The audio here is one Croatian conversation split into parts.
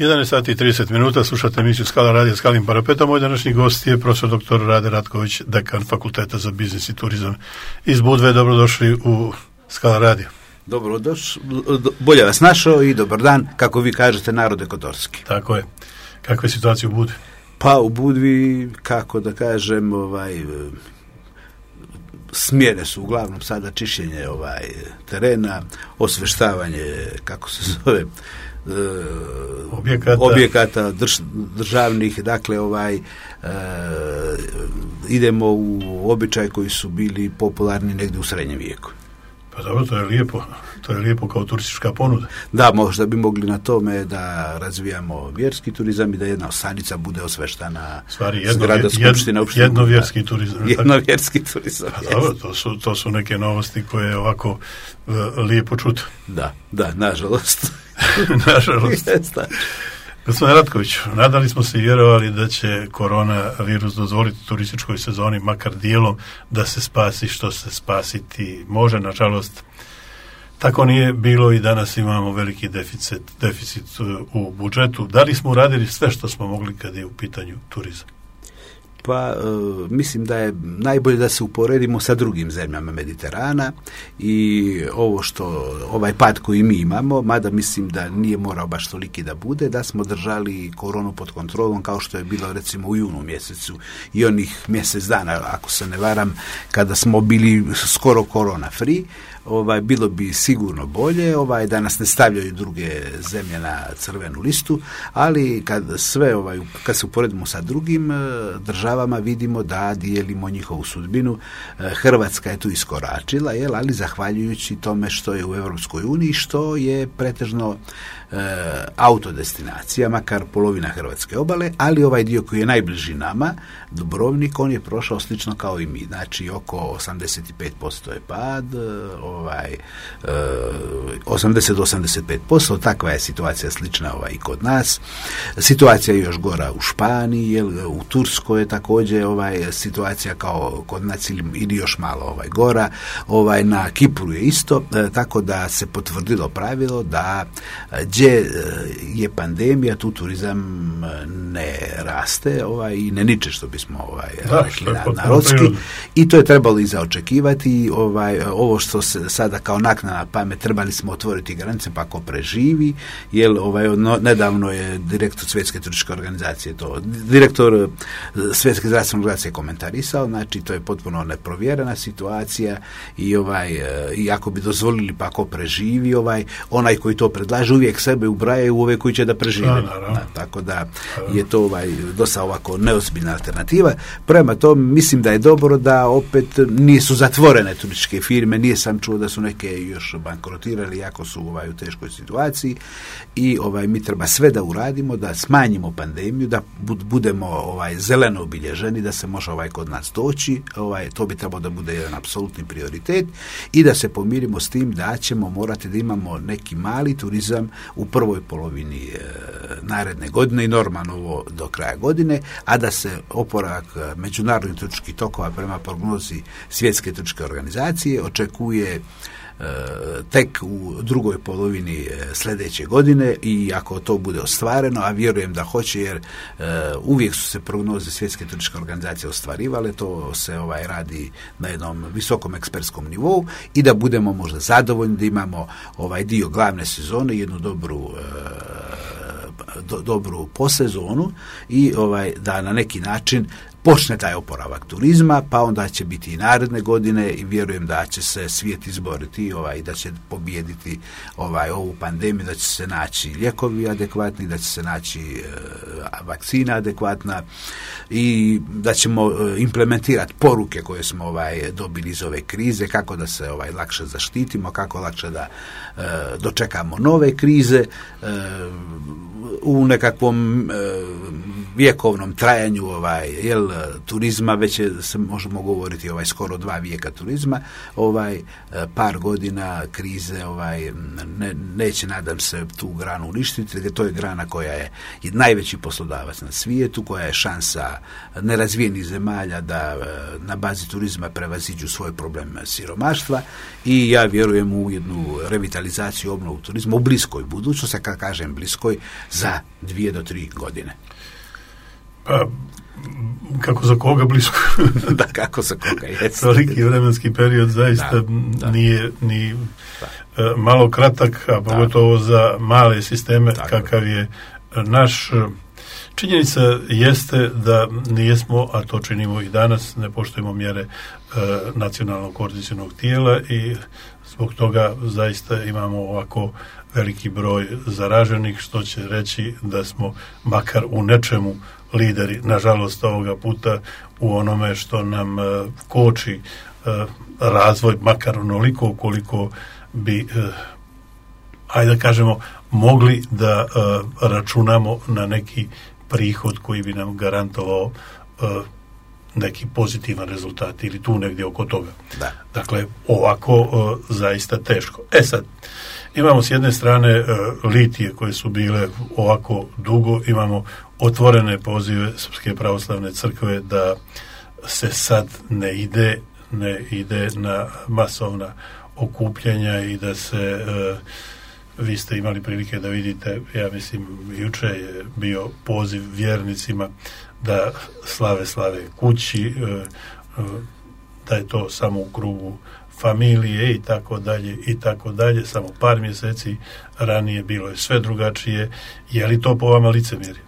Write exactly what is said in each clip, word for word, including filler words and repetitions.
jedanaest sati i trideset minuta, slušate emisiju Skala radija Skalim parapetom. Moj današnji gost je profesor doktor Rade Ratković, dekan Fakulteta za biznis i turizam iz Budve. Dobrodošli u Skala radio. Dobrodošli, bolje vas našao i dobar dan, kako vi kažete, narode kotorski. Tako je. Kakva je situacija u Budvi? Pa u Budvi, kako da kažem, ovaj, smjene su uglavnom sada čišćenje ovaj, terena, osveštavanje, kako se zove, objekata, objekata drž, državnih, dakle ovaj e, idemo u običaj koji su bili popularni negdje u srednjem vijeku. Pa dobro, to je lijepo. To je lijepo kao turistička ponuda. Da, možda bi mogli na tome da razvijamo vjerski turizam i da jedna osadnica bude osveštana. Stvari, jedno, zgrada skupštine opštine. Jednovjerski turizam. Jednovjerski turizam. Pa dobro, to su, to su neke novosti koje ovako uh, lijepo čuti. Da, da, nažalost. Nažalost. Gospodine Ratković, nadali smo se i vjerovali da će koronavirus dozvoliti turističkoj sezoni makar dijelom da se spasi što se spasiti može. Nažalost, tako nije bilo i danas imamo veliki deficit, deficit u budžetu. Da li smo uradili sve što smo mogli kad je u pitanju turizam? Pa e, mislim da je najbolje da se uporedimo sa drugim zemljama Mediterana i ovo što, ovaj pad koji mi imamo, mada mislim da nije morao baš toliki da bude, da smo držali koronu pod kontrolom kao što je bilo recimo u junu mjesecu i onih mjesec dana, ako se ne varam, kada smo bili skoro korona free. Ovaj, bilo bi sigurno bolje, ovaj, da nas ne stavljaju druge zemlje na crvenu listu, ali kad sve, ovaj, kad se uporedimo sa drugim državama, vidimo da dijelimo njihovu sudbinu. Hrvatska je tu iskoračila, jel, ali zahvaljujući tome što je u Europskoj uniji, što je pretežno e, autodestinacija, makar polovina hrvatske obale, ali ovaj dio koji je najbliži nama, Dubrovnik, on je prošao slično kao i mi, znači oko osamdeset pet posto je pad, ovaj, osamdeset do osamdeset pet posto, takva je situacija slična ovaj, i kod nas. Situacija je još gora u Španiji, jel, u Turskoj je također ovaj, situacija kao kod nas ili, ili još malo ovaj, gora, ovaj, na Kipru je isto, e, tako da se potvrdilo pravilo da gdje je pandemija, tu turizam ne raste ovaj, i ne niče, što bismo ovaj, da, rekli na, narodski, i to je trebalo i zaočekivati. Ovaj, ovo što se sada kao naknadna pamet, trebali smo otvoriti granice pa ako preživi, jer ovaj, no, nedavno je direktor Svjetske turističke organizacije to, direktor Svjetske zdravstvene organizacije komentarisao, znači to je potpuno neprovjerena situacija i ovaj, i ako bi dozvolili pa ako preživi, ovaj, onaj koji to predlaže uvijek sebe ubraje u ove koji će da prežive. Da, da, tako da je to ovaj, dosta ovako neozbiljna alternativa. Prema tome mislim da je dobro da opet nisu zatvorene turističke firme, nije sam čuo da su neke još bankrotirali, jako su ovaj, u teškoj situaciji i ovaj, mi treba sve da uradimo, da smanjimo pandemiju, da budemo ovaj, zeleno obilježeni, da se može ovaj, kod nas doći, ovaj, to bi trebalo da bude jedan apsolutni prioritet i da se pomirimo s tim da ćemo morati da imamo neki mali turizam u prvoj polovini e, naredne godine i normalno ovo do kraja godine, a da se oporavak međunarodnih turističkih tokova prema prognozi Svjetske turističke organizacije očekuje e, tek u drugoj polovini e, sljedeće godine i ako to bude ostvareno, a vjerujem da hoće jer e, uvijek su se prognoze Svjetske turističke organizacije ostvarivale, to se ovaj radi na jednom visokom ekspertskom nivou i da budemo možda zadovoljni da imamo ovaj dio glavne sezone, jednu dobru e, do, dobru posezonu i ovaj da na neki način počne taj oporavak turizma, pa onda će biti i naredne godine i vjerujem da će se svijet izboriti ovaj, da će pobijediti ovaj, ovu pandemiju, da će se naći lijekovi adekvatni, da će se naći e, vakcina adekvatna i da ćemo e, implementirati poruke koje smo ovaj, dobili iz ove krize, kako da se ovaj, lakše zaštitimo, kako lakše da e, dočekamo nove krize, e, u nekakvom e, vjekovnom trajanju ovaj jel turizma, već je, se možemo govoriti ovaj skoro dva vijeka turizma, ovaj par godina krize ovaj ne, neće, nadam se, tu granu uništiti, jer to je grana koja je najveći poslodavac na svijetu, koja je šansa nerazvijenih zemalja da na bazi turizma prevaziđu svoj problem siromaštva, i ja vjerujem u jednu revitalizaciju, obnovu turizma u bliskoj budućnosti, kad kažem bliskoj, za dvije do tri godine. Pa, kako za koga blisko? Da, kako za koga, jest. Veliki vremenski period zaista da, da. nije ni da. malo kratak, a pogotovo da. za male sisteme tako. Kakav je naš. Činjenica jeste da nijesmo, a to činimo i danas, ne poštujemo mjere e, nacionalnog koordinacionog tijela i zbog toga zaista imamo ovako veliki broj zaraženih, što će reći da smo makar u nečemu lideri, nažalost ovoga puta u onome što nam e, koči e, razvoj, makar onoliko koliko bi, e, ajde da kažemo, mogli da e, računamo na neki prihod koji bi nam garantovao uh, neki pozitivan rezultat ili tu negdje oko toga. Da. Dakle, ovako uh, zaista teško. E sad, imamo s jedne strane uh, litije koje su bile ovako dugo, imamo otvorene pozive Srpske pravoslavne crkve da se sad ne ide, ne ide na masovna okupljanja i da se uh, vi ste imali prilike da vidite, ja mislim, juče je bio poziv vjernicima da slave slave kući, da je to samo u krugu familije i tako dalje i tako dalje. Samo par mjeseci ranije bilo je sve drugačije. Je li to po vama licemjerje?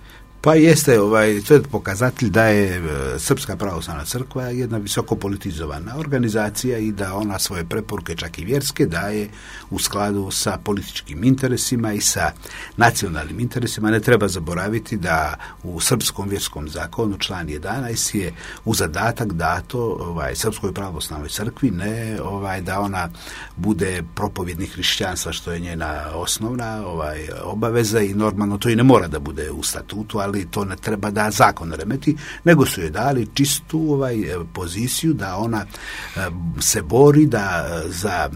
Pa jeste, ovaj, to je pokazatelj da je Srpska pravoslavna crkva jedna visoko politizovana organizacija i da ona svoje preporuke, čak i vjerske, daje u skladu sa političkim interesima i sa nacionalnim interesima. Ne treba zaboraviti da u Srpskom vjerskom zakonu član jedanaest je u zadatak dato ovaj, Srpskoj pravoslavnoj crkvi ne ovaj, da ona bude propovjednik hrišćanstva, što je njena osnovna ovaj, obaveza, i normalno to i ne mora da bude u statutu, ali ali to ne treba da zakon remeti, nego su joj dali čistu ovaj poziciju da ona se bori da za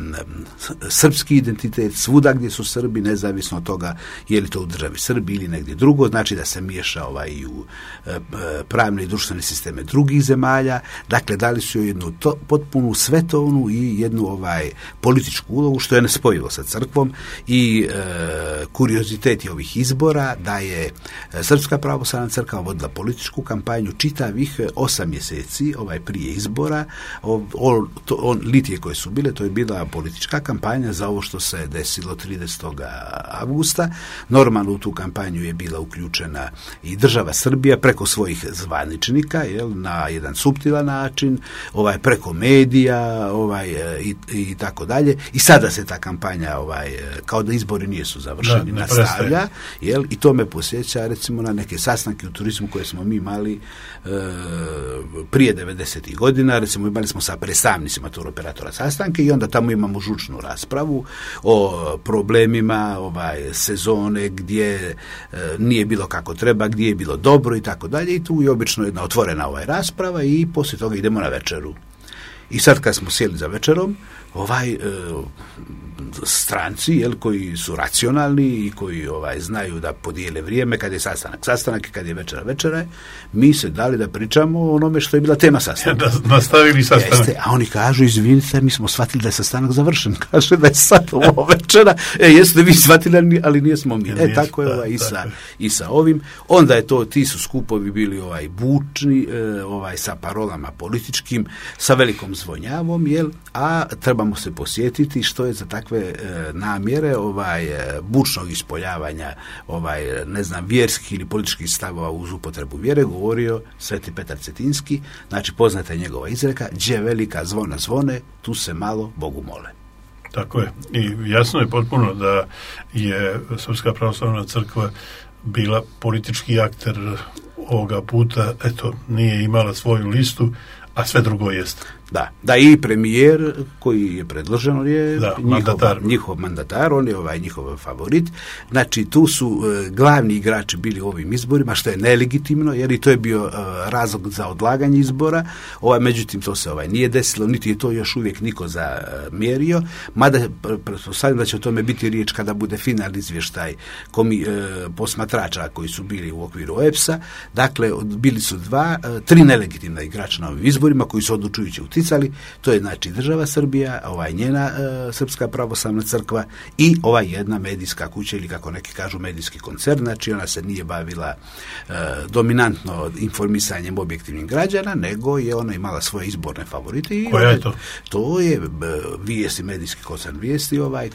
srpski identitet svuda gdje su Srbi, nezavisno od toga je li to u državi Srbiji ili negdje drugo, znači da se miješa ovaj u pravne i društvene sisteme drugih zemalja. Dakle, dali su joj jednu to, potpunu svetovnu i jednu ovaj političku ulogu, što je nespojivo sa crkvom, i e, kurioziteti ovih izbora da je Srpska pravoslavna crkva vodila političku kampanju čitavih osam mjeseci ovaj prije izbora. O, o, to, on, litije koje su bile, to je bila politička kampanja za ovo što se desilo tridesetog avgusta. Normalno u tu kampanju je bila uključena i država Srbija preko svojih zvaničnika, jel, na jedan suptilan način, ovaj preko medija, ovaj i, i tako dalje. I sada se ta kampanja ovaj kao da izbori nisu završeni, da, nastavlja, jel, i to me posjeća recimo na neke sastanke u turizmu koje smo mi imali e, prije devedesetih godina. Recimo imali smo sa predstavnicima turoperatora sastanke i onda tamo imamo žučnu raspravu o problemima ovaj sezone gdje e, nije bilo kako treba, gdje je bilo dobro i tako dalje, i tu je obično jedna otvorena ovaj rasprava i poslije toga idemo na večeru. I sad kad smo sjeli za večerom, ovaj e, stranci, jel, koji su racionalni i koji ovaj znaju da podijele vrijeme kad je sastanak sastanak i kad je večera večera, mi se dali da pričamo o onome što je bila tema sastanka. Ja, da nastavili sastanak. Jeste, a oni kažu, izvinite, mi smo shvatili da je sastanak završen. Kaže da je sad ovo večera. E, jeste vi shvatili, ali nijesmo mi. E, tako je ovaj, i, sa, i sa ovim. Onda je to, ti su skupovi bili ovaj bučni, e, ovaj sa parolama političkim, sa velikom zvonjavom, jel, a trebamo se posjetiti što je za takve e, namjere ovaj e, bučnog ispoljavanja ovaj ne znam vjerskih ili političkih stavova uz upotrebu vjere govorio Sveti Petar Cetinski. Znači poznata je njegova izreka: "Đe velika zvona zvone, tu se malo Bogu mole." Tako je. I jasno je potpuno da je Srpska pravoslavna crkva bila politički akter ovoga puta, eto, nije imala svoju listu, a sve drugo jeste. Da, da i premijer koji je predložen, on je da, njihov, mandatar. njihov mandatar, on je ovaj njihov favorit. Znači, tu su e, glavni igrači bili u ovim izborima, što je nelegitimno, jer i to je bio e, razlog za odlaganje izbora. Ovaj, međutim, to se ovaj nije desilo, niti je to još uvijek niko zamjerio, mada pretpostavljam da će o tome biti riječ kada bude finalni izvještaj komi, e, posmatrača koji su bili u okviru O E P S-a. Dakle, bili su dva, e, tri nelegitimna igrača na ovim izborima koji su odlučujući uticali. To je znači država Srbija, ovaj njena e, Srpska pravoslavna crkva i ova jedna medijska kuća ili kako neki kažu medijski koncern. Znači ona se nije bavila e, dominantno informisanjem objektivnih građana, nego je ona imala svoje izborne favorite. I koja je to? To je e, vijesti, medijski koncern vijesti ovaj e,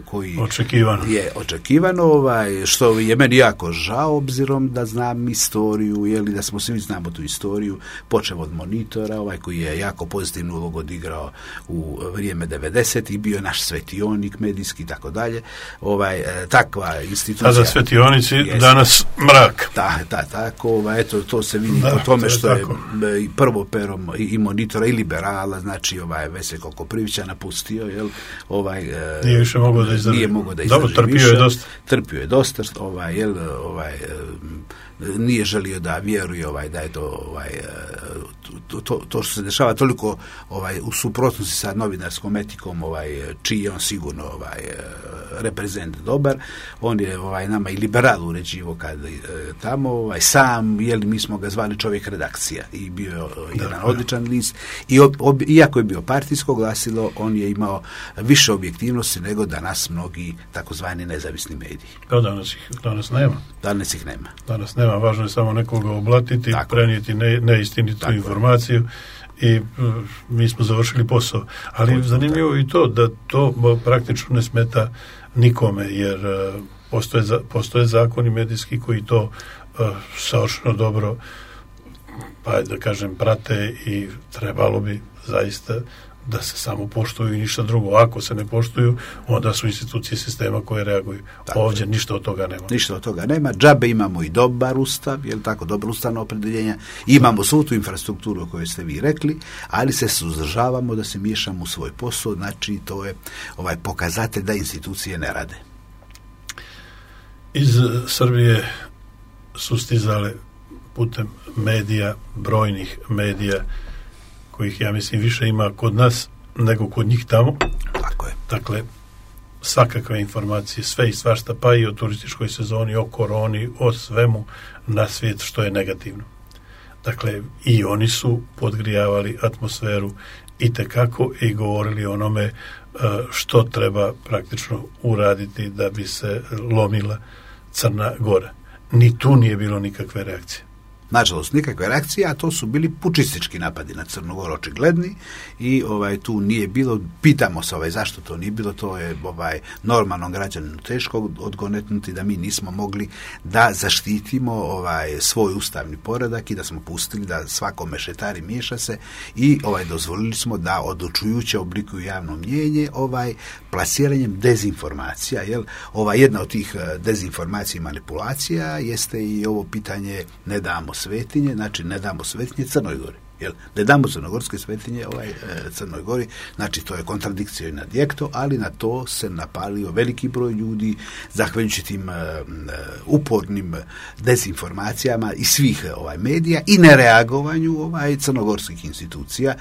koji očekivano. je očekivano, ovaj, što je meni jako žao obzirom da znam istoriju, jeli da smo svi znamo tu istoriju, počeo od Monitora, ovaj koji je jako pozitivnu ulogu odigrao u vrijeme devedesetih i bio naš svetionik medijski i tako dalje. Ovaj, e, takva institucija. Tada svetionici, jest, danas mrak. Da, da, tako, ovaj, eto, to se vidi da, po tome to je što tako. je i prvo perom i, i Monitora i liberala, znači ovaj Veseljko Koprivića napustio, jel, ovaj, e, nije više mogao da izdrži. Nije mogao da izdrži. Dobro, trpio više, je dosta. Trpio je dosta, ovaj, jel, ovaj, e, nije želio da vjeruje ovaj da je to ovaj to, to, to što se dešava toliko ovaj u suprotnosti sa novinarskom etikom, ovaj čiji je on sigurno ovaj reprezent dobar. On je ovaj nama i liberal uređivo kad e, tamo ovaj sam, jel, mi smo ga zvali čovjek redakcija i bio je jedan da, odličan da. list i ob, ob, iako je bio partijsko glasilo, on je imao više objektivnosti nego danas mnogi takozvani nezavisni mediji. Pa danas ih danas nema. Danas ih nema. Danas nema, važno je samo nekoga oblatiti, tako, prenijeti ne, neistinitu tako informaciju i uh, mi smo završili posao. Ali to, zanimljivo je i to da to praktično ne smeta nikome, jer uh, postoje, za, postoje zakoni medijski koji to uh, savršeno dobro, pa da kažem, prate i trebalo bi zaista da se samo poštuju i ništa drugo. Ako se ne poštuju, onda su institucije sistema koje reaguju. Tako, ovdje ništa od toga nema. Ništa od toga nema. Džabe imamo i dobar ustav, je li tako, dobro ustavno opredeljenja. Imamo svu tu infrastrukturu o kojoj ste vi rekli, ali se suzdržavamo da se miješamo u svoj posao, znači to je ovaj pokazatelj da institucije ne rade. Iz Srbije su stizale putem medija, brojnih medija, kojih, ja mislim, više ima kod nas nego kod njih tamo. Tako je. Dakle, svakakve informacije, sve i svašta, pa i o turističkoj sezoni, o koroni, o svemu na svijet što je negativno. Dakle, i oni su podgrijavali atmosferu i tekako i govorili onome što treba praktično uraditi da bi se lomila Crna Gora. Ni tu nije bilo nikakve reakcije. Nažalost, nikakve reakcije, a to su bili pučistički napadi na Crnu Goru očigledni i ovaj tu nije bilo, pitamo se ovaj zašto to nije bilo, to je ovaj normalnom građaninu teško odgonetnuti da mi nismo mogli da zaštitimo ovaj svoj ustavni poredak i da smo pustili da svako mešetari miješa se i ovaj dozvolili smo da odlučujuće oblikuju javno mnjenje ovaj plasiranjem dezinformacija, jel? Ova jedna od tih dezinformacija i manipulacija jeste i ovo pitanje ne damo svetinje, znači ne damo svetinje Crnoj Gori. Jel? Ne damo crnogorske svetinje ovaj, e, Crnoj Gori, znači to je kontradikcija i nadjekto, ali na to se napalio veliki broj ljudi zahvaljujući tim e, upornim dezinformacijama i svih ovaj medija i nereagovanju ovaj crnogorskih institucija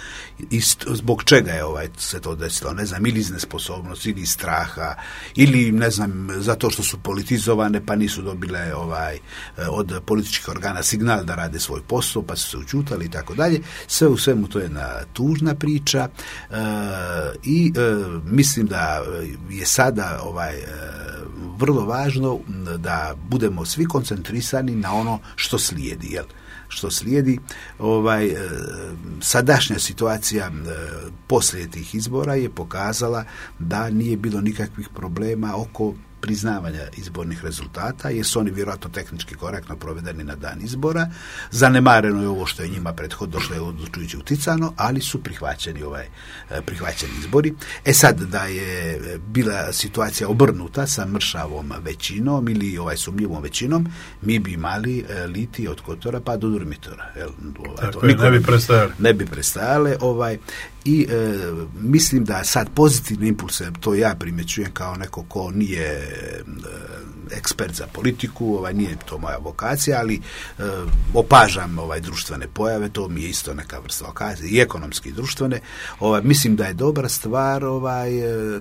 i zbog čega je ovaj se to desilo, ne znam, ili iz nesposobnosti, ili iz straha, ili ne znam, zato što su politizovane pa nisu dobile ovaj od političkih organa signal da rade svoj posao, pa su se učutali i tako dalje. Sve u svemu to je jedna tužna priča e, i e, mislim da je sada ovaj e, vrlo važno da budemo svi koncentrisani na ono što slijedi, jel? Što slijedi, ovaj, e, sadašnja situacija e, poslije tih izbora je pokazala da nije bilo nikakvih problema oko priznavanja izbornih rezultata, jer su oni vjerojatno tehnički korektno provedeni na dan izbora. Zanemareno je ovo što je njima prethodno, što je odlučujući uticano, ali su prihvaćeni ovaj prihvaćeni izbori. E sad, da je bila situacija obrnuta sa mršavom većinom ili ovaj sumnjivom većinom, mi bi imali liti od Kotora pa do Durmitora. Jel, ovaj, Tako je, ne bi prestajali. Ne bi prestajale, ovaj, i e, mislim da sad pozitivne impulse, to ja primjećujem kao neko ko nije e, ekspert za politiku, ovaj, nije to moja vokacija, ali e, opažam ovaj, društvene pojave, to mi je isto neka vrsta vokacije, i ekonomski i društvene. Ovaj, mislim da je dobra stvar ovaj,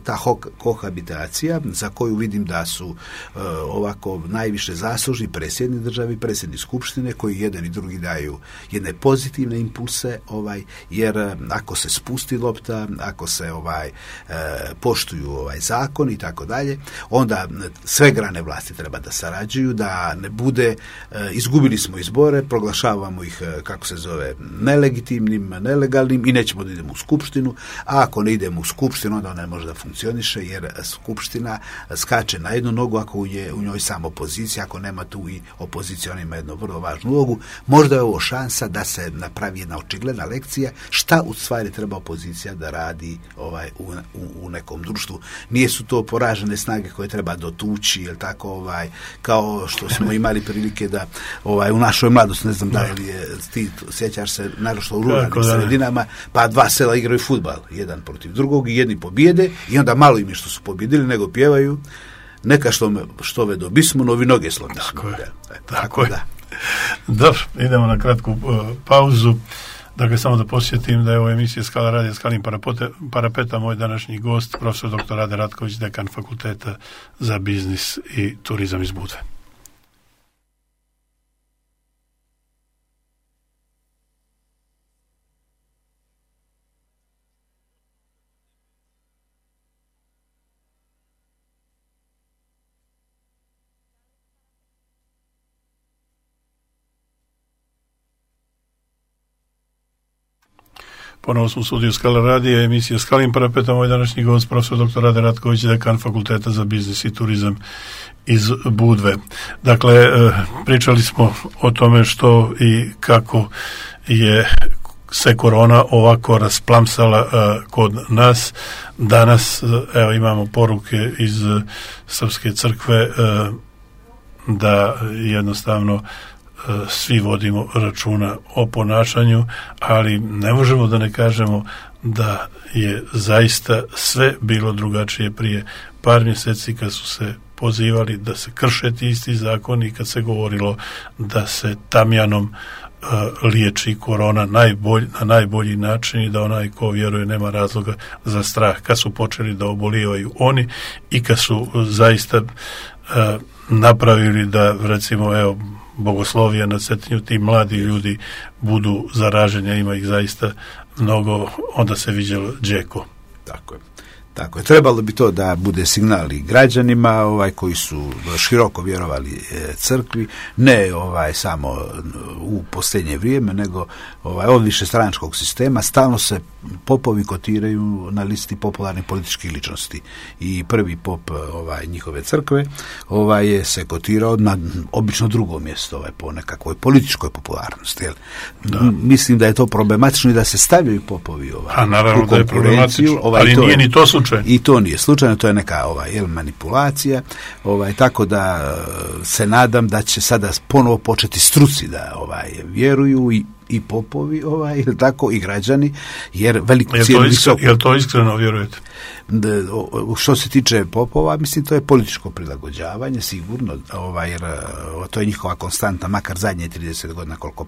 ta ho- kohabitacija, za koju vidim da su e, ovako najviše zaslužni predsjednik države i predsjednik skupštine, koji jedan i drugi daju jedne pozitivne impulse, ovaj, jer ako se spusti lopta, ako se ovaj, e, poštuju ovaj, zakon i tako dalje, onda sve grane vlasti treba da sarađuju, da ne bude, e, izgubili smo izbore, proglašavamo ih, e, kako se zove, nelegitimnim, nelegalnim i nećemo da idemo u skupštinu, a ako ne idemo u skupštinu, onda ona ne može da funkcioniše, jer skupština skače na jednu nogu ako je u njoj samo opozicija, ako nema tu i opozicija, ona ima jednu vrlo važnu ulogu. Možda je ovo šansa da se napravi jedna očigledna lekcija šta u stvari treba opozicija da radi ovaj, u, u, u nekom društvu. Nije su to poražene snage koje treba dotući, jel tako, ovaj, kao što smo imali prilike da ovaj, u našoj mladosti, ne znam da li je, ti sjećaš se, naročito u ruralnim sredinama, pa dva sela igraju fudbal, jedan protiv drugog i jedni pobjede i onda malo im je što su pobjedili, nego pjevaju neka što, me, što ve do bismo, novi noge slomili. Tako je. Da, tako, tako da. Dobro, idemo na kratku uh, pauzu. Dakle, samo da posjetim da je ovo emisija Skala radija Skalim parapeta, moj današnji gost, profesor doktor Rade Ratković, dekan Fakulteta za biznis i turizam iz Budve. Ponovo smo u studiju Skala radija, emisija Skalim parapeta, moj današnji gost, profesor doktor Rade Ratković, dekan Fakulteta za biznis i turizam iz Budve. Dakle, pričali smo o tome što i kako je se korona ovako rasplamsala kod nas. Danas, evo, imamo poruke iz Srpske crkve da jednostavno svi vodimo računa o ponašanju, ali ne možemo da ne kažemo da je zaista sve bilo drugačije prije par mjeseci kad su se pozivali da se krše ti isti zakoni, kad se govorilo da se tamjanom uh, liječi korona najbolj, na najbolji način i da onaj ko vjeruje nema razloga za strah. Kad su počeli da obolijevaju oni i kad su zaista uh, napravili da, recimo, evo, bogoslovija na Cetinju, ti mladi ljudi budu zaraženi, ima ih zaista mnogo, onda se viđalo džeko. Tako je. Tako je. Trebalo bi to da bude signal i građanima, ovaj, koji su široko vjerovali e, crkvi, ne ovaj samo u posljednje vrijeme, nego ovaj od višestranačkog sistema. Stalno se popovi kotiraju na listi popularnih političkih ličnosti i prvi pop ovaj njihove crkve ovaj je se kotirao na obično drugo mjesto, ovaj po nekakvoj političkoj popularnosti. Jel? Da. Mislim da je to problematično i da se stavljaju popovi ovaj. A naravno da je problematično, ovaj, ali to nije ni to slučaj. I to nije slučajno, to je neka ovaj, jel, manipulacija, ovaj, tako da se nadam da će sada ponovo početi struci da ovaj, vjeruju i i popovi, ovaj, ili tako, i građani, jer veliku cijenu visoko... Jel to iskreno vjerujete? Da, o, što se tiče popova, mislim, to je političko prilagođavanje, sigurno, ovaj, jer o, to je njihova konstanta, makar zadnje trideset godina koliko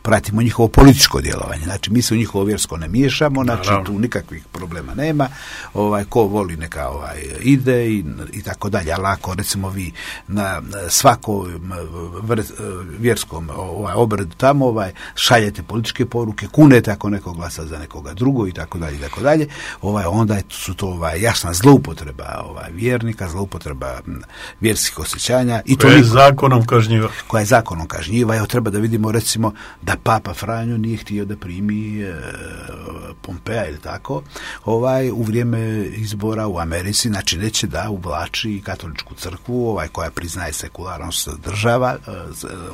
pratimo njihovo političko djelovanje. Znači, mi se u njihovo vjersko ne miješamo, znači, naravno, tu nikakvih problema nema, ovaj, ko voli neka ovaj, ide i, i tako dalje, ali ako, recimo, vi na svakom vjerskom ovaj, obredu tamo, ovaj, šaljete političke poruke, kunete ako neko glasa za nekoga drugo i tako dalje i tako dalje, ovaj onda su to ovaj jasna zloupotreba ovaj vjernika, zloupotreba vjerskih osjećanja i to je niko, zakonom kažnjiva. Koja je zakonom kažnjiva. Evo treba da vidimo recimo da Papa Franjo nije htio da primi e, Pompeja ili tako, ovaj u vrijeme izbora u Americi, znači neće da uvlači katoličku crkvu, ovaj koja priznaje sekularnost država, e,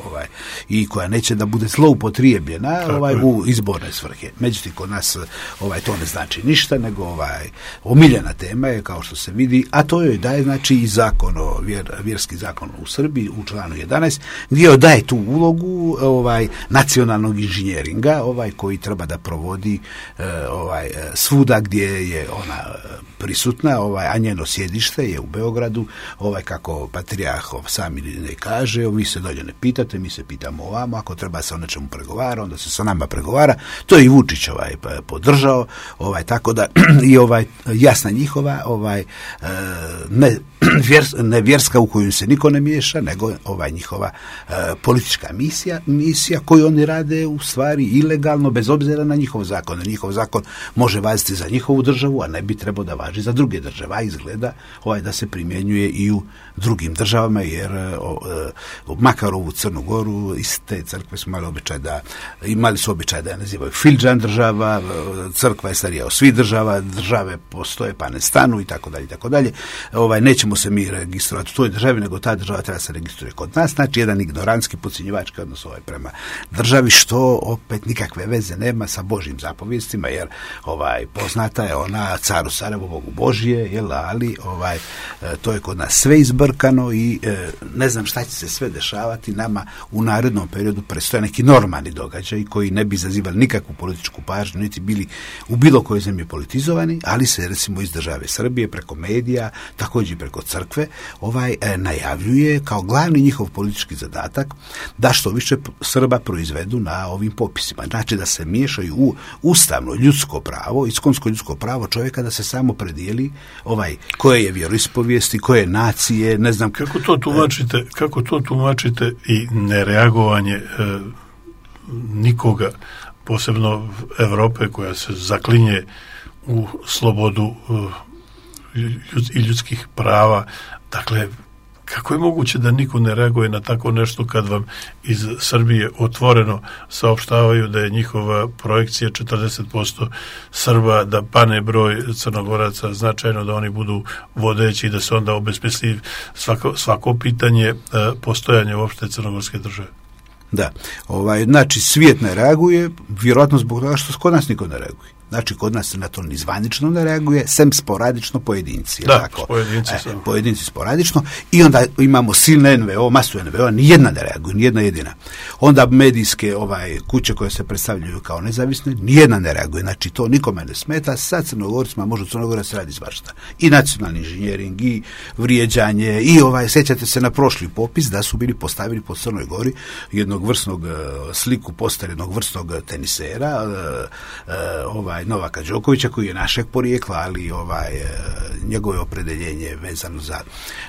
ovaj i koja neće da bude zloupotrijebljena upotrebljena ovaj, u izborne svrhe. Međutim, kod nas ovaj, to ne znači ništa, nego ovaj, omiljena tema je, kao što se vidi, a to joj daje znači i zakon o vjer, vjerski zakon u Srbiji u članu jedanaest, gdje joj daje tu ulogu ovaj, nacionalnog inženjeringa ovaj, koji treba da provodi eh, ovaj, svuda gdje je ona prisutna, ovaj, a njeno sjedište je u Beogradu, ovaj, kako patrijarh sami ne kaže, vi se dolje ne pitate, mi se pitamo ovamo, ako treba se o nečemu pregovara, onda se sa nama pregovara. To je i Vučić ovaj, podržao, ovaj, tako da i ovaj, jasna njihova ovaj, ne, vjers, ne vjerska u koju se niko ne miješa, nego ovaj, njihova uh, politička misija, misija koju oni rade u stvari ilegalno, bez obzira na njihov zakon. Njihov zakon može važiti za njihovu državu, a ne bi trebao da važi za druge države. A izgleda ovaj, da se primjenjuje i u drugim državama, jer uh, makar ovu Crnu Goru iz te crkve su imali običaj da imali su običaj da je nazivaju Filđan država, crkva je starija od svih država, države postoje pa ne stanu i tako dalje i tako dalje. Ovaj, nećemo se mi registrovati u toj državi, nego ta država treba se registruje kod nas. Znači, jedan ignorantski, podcjenjivački odnos ovaj prema državi, što opet nikakve veze nema sa Božjim zapovijestima, jer ovaj, poznata je ona caru Sarajevo, Bogu Božije, jel, ali ovaj, to je kod nas sve izbrkano i e, ne znam šta će se sve dešavati. Nama u narednom periodu predstoje neki normalni događaj koji ne bi izazivali nikakvu političku pažnju, niti bili u bilo kojoj zemlji politizovani, ali se recimo iz države Srbije preko medija, također preko crkve, ovaj e, najavljuje kao glavni njihov politički zadatak da što više Srba proizvedu na ovim popisima. Znači da se miješaju u ustavno ljudsko pravo, iskonsko ljudsko pravo čovjeka da se samo predijeli ovaj, koje je vjeroispovijesti, koje nacije, ne znam. Kako to tumačite, kako to tumačite i nereagovanje e, nikoga, posebno Evrope koja se zaklinje u slobodu e, i ljudskih prava. Dakle, kako je moguće da niko ne reaguje na tako nešto kad vam iz Srbije otvoreno saopštavaju da je njihova projekcija četrdeset posto Srba, da pane broj Crnogoraca značajno, da oni budu vodeći i da se onda obesmisli svako, svako pitanje postojanja uopšte crnogorske države? Da, ovaj, znači svijet ne reaguje, vjerojatno zbog toga što kod nas niko ne reaguje. Znači, kod nas se na to ni zvanično ne reaguje, sem sporadično pojedinci. Da, tako? pojedinci e, Pojedinci sporadično. I onda imamo silne en ve o, masu en ve o, nijedna ne reaguje, nijedna jedina. Onda medijske ovaj, kuće koje se predstavljaju kao nezavisne, nijedna ne reaguje. Znači, to nikome ne smeta. Sa Crnogorcima može u Crnogora se radi svašta. I nacionalni inženjering, i vrijeđanje, i ovaj, sjećate se na prošli popis da su bili postavili po Crnoj Gori jednog vrsnog sliku poster jednog vrsnog tenisera, ovaj, Novaka Đokovića, koji je našeg porijekla, ali ovaj njegovo opredeljenje vezano za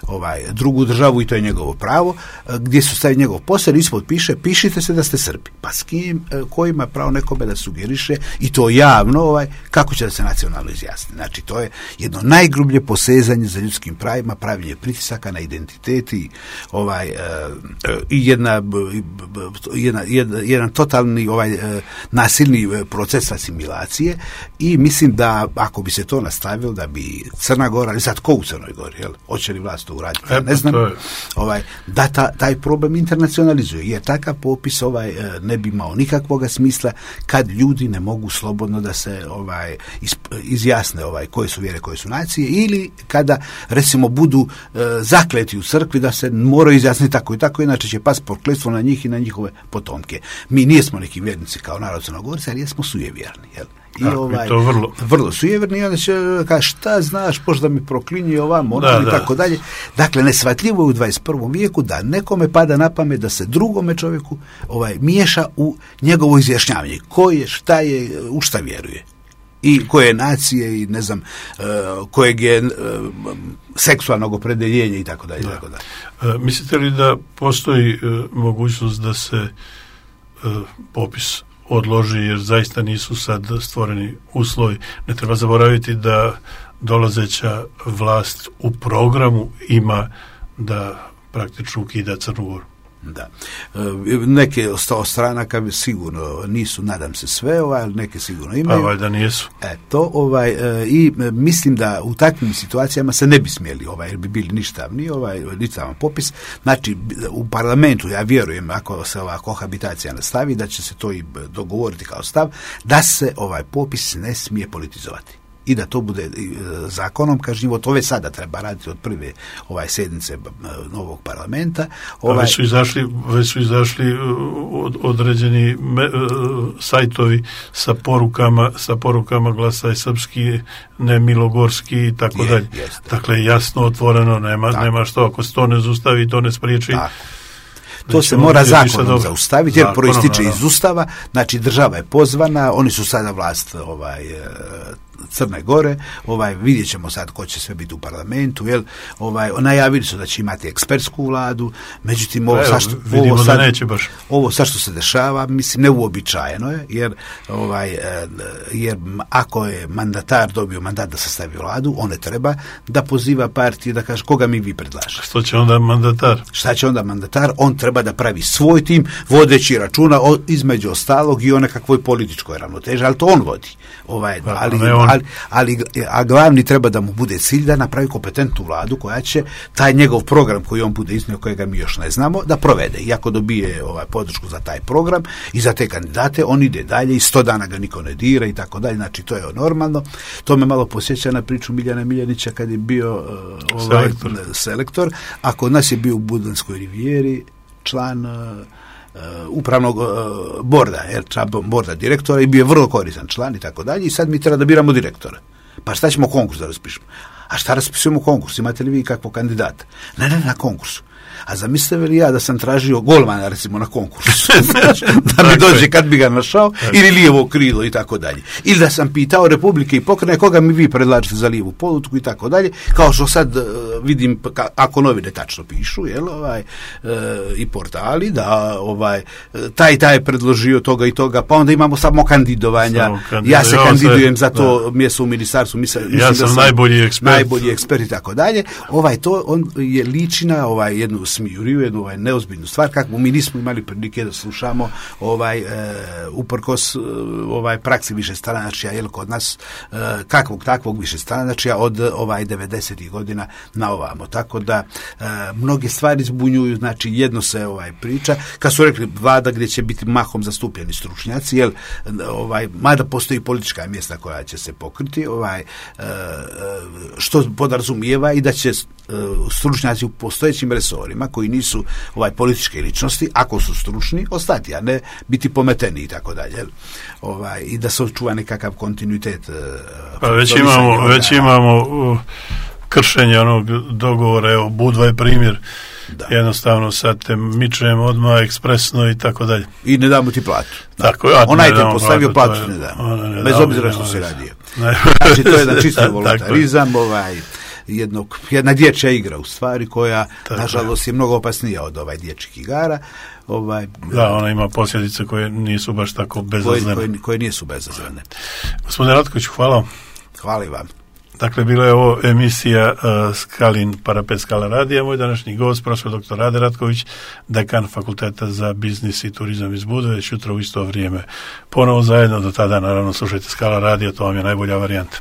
ovaj drugu državu i to je njegovo pravo, gdje su stavili njegov poster, ispod piše pišite se da ste Srbi. Pa s kim, ko ima pravo nekome da sugeriše i to javno, ovaj kako će da se nacionalno izjasni. Znači, to je jedno najgrublje posezanje za ljudskim pravima, pravljenje pritisaka na identitet i ovaj i jedna, jedna, jedna jedan totalni ovaj nasilni proces asimilacije. I mislim da ako bi se to nastavilo, da bi Crna Gora, ali sad ko u Crnoj Gori, jel? Hoće li vlast to uraditi? E, ne znam. Je. Ovaj, da ta, taj problem internacionalizuje, jer takav popis ovaj, ne bi imao nikakvoga smisla kad ljudi ne mogu slobodno da se ovaj, iz, izjasne ovaj, koje su vjere, koje su nacije, ili kada recimo budu e, zakleti u crkvi da se moraju izjasniti tako i tako, inače će pas prokletstvo na njih i na njihove potomke. Mi nismo neki vjernici kao narod Crnogorci, ali jesmo sujevjerni, jel? I da, ovaj, to vrlo. vrlo sujevjerni, i onda će kaži šta znaš, možda mi proklinje ovam, ono i da. tako dalje. Dakle, nesvatljivo je u dvadeset prvom vijeku da nekome pada na pamet da se drugome čovjeku ovaj, miješa u njegovo izjašnjavanje. Ko je, šta je, u šta vjeruje. I koje nacije i ne znam uh, kojeg je uh, seksualnog opredeljenja i tako dalje. Tako dalje. Uh, mislite li da postoji uh, mogućnost da se uh, popis odloži, jer zaista nisu sad stvoreni uslovi? Ne treba zaboraviti da dolazeća vlast u programu ima da praktično ukida Crnu Goru. Da. Neke od stranaka sigurno nisu, nadam se sve, ovaj, ali neke sigurno imaju. Pa valjda nisu. E, to, ovaj, i mislim da u takvim situacijama se ne bi smjeli, ovaj, jer bi bili ništavni, ovaj, ništavan popis. Znači, u parlamentu, ja vjerujem, ako se ova kohabitacija nastavi, da će se to i dogovoriti kao stav, da se ovaj popis ne smije politizovati. I da to bude zakonom kažnjivo, to već sada treba raditi od prve ovaj sjednice novog parlamenta. Ovaj... Već su izašli, već su izašli od, određeni me, sajtovi sa porukama, sa porukama Glasaj srpski, ne milogorski i tako dalje. Dakle, jasno, otvoreno, nema, nema što, ako se to ne zustavi, to ne spriječi. Tako. To se mora zakonom zaustaviti, jer proističe iz Ustava, znači država je pozvana, oni su sada vlast ovaj, Crne Gore, ovaj, vidjet ćemo sad ko će sve biti u parlamentu, jel, ovaj, najavili su da će imati ekspertsku vladu, međutim ovo, Evo, što, vidimo ovo, sad, da neće baš. ovo sad što se dešava, mislim, neuobičajeno je, jer, ovaj, jer ako je mandatar dobio mandat da sastavi vladu, on ne treba da poziva partiju, da kaže koga mi vi predlažete. Što će onda mandatar? Šta će onda mandatar? On treba da pravi svoj tim, vodeći računa o, između ostalog i o nekakvoj političkoj ravnoteži, ali to on vodi. Ovaj, pa, ali, on... ali, ali, a glavni treba da mu bude cilj da napravi kompetentnu vladu koja će taj njegov program koji on bude iznio, kojega mi još ne znamo, da provede. I ako dobije ovaj, podršku za taj program i za te kandidate, on ide dalje i sto dana ga niko ne dira i tako dalje. Znači, to je normalno. To me malo posjeća na priču Miljana Miljanića kad je bio uh, ovaj, selektor. selektor. A kod nas je bio u Budanskoj rivijeri član uh, Uh, upravnog uh, borda, jer borda direktora i bio je vrlo koristan član i tako dalje i sad mi treba da biramo direktora. Pa šta ćemo konkurs da raspišemo? A šta raspisujemo konkurs? Imate li vi kakvog kandidata? Ne, ne, na konkursu. A zamislite li ja da sam tražio golmana recimo na konkursu da mi dođe kad bi ga našao ili lijevo krilo i tako dalje. Ili da sam pitao Republike i pokrajine koga mi vi predlažete za lijevu politiku i tako dalje, kao što sad uh, vidim ka, ako novine tačno pišu, jel, ovaj, uh, i portali da ovaj, taj taj je predložio toga i toga, pa onda imamo samo kandidovanja. Samo kandidovanja. Ja se ja kandidujem se, za to da. mjesto u ministarstvu, mislim, ja mislim sam, da sam najbolji ekspert. Najbolji ekspert i tako dalje. Ovaj, to on je liči na ovaj, jednu smijuriju, jednu ovaj, neozbiljnu stvar, kako mi nismo imali prilike da slušamo ovaj, e, uprkos ovaj, praksi višestranačja, jel, kod nas e, kakvog takvog višestranačja od ovaj, devedesetih godina na ovamo. Tako da e, mnoge stvari zbunjuju, znači jedno se ovaj, priča, kad su rekli vlada gdje će biti mahom zastupljeni stručnjaci, jel, ovaj, mada postoji politička mjesta koja će se pokriti, ovaj, e, što podrazumijeva i da će e, stručnjaci u postojećim resorima koji nisu ovaj političke ličnosti, ako su stručni, ostati, a ne biti pometeni i tako dalje. Ovaj, i da se očuva nekakav kontinuitet. Pa već imamo, već imamo uh, kršenje onog dogovora, evo, Budva je primjer. Da. Jednostavno sad te mičemo odmah ekspresno i tako dalje. I ne damo ti platu. Tako, ja, onaj te postavio platu, platu ne damo. Ne Bez obzira što se radio. Znači, to je jedan čisti voluntarizam, ovaj, jednog, jedna dječja igra u stvari koja, tako, nažalost, je mnogo opasnija od ovaj dječjih igara. Ovaj, da, ona ima posljedice koje nisu baš tako bezazlene. Koje, koje, koje nisu bezazlene. Gospodine Ratkoviću, hvala. Hvala i vam. Dakle, bila je ovo emisija uh, Skalin Parapet Skala radija. Moj današnji gost, profesor doktor Rade Ratković, dekan Fakulteta za biznis i turizam iz Budve, već jutro u isto vrijeme. Ponovo zajedno, do tada naravno slušajte Skala radija, to vam je najbolja varijanta.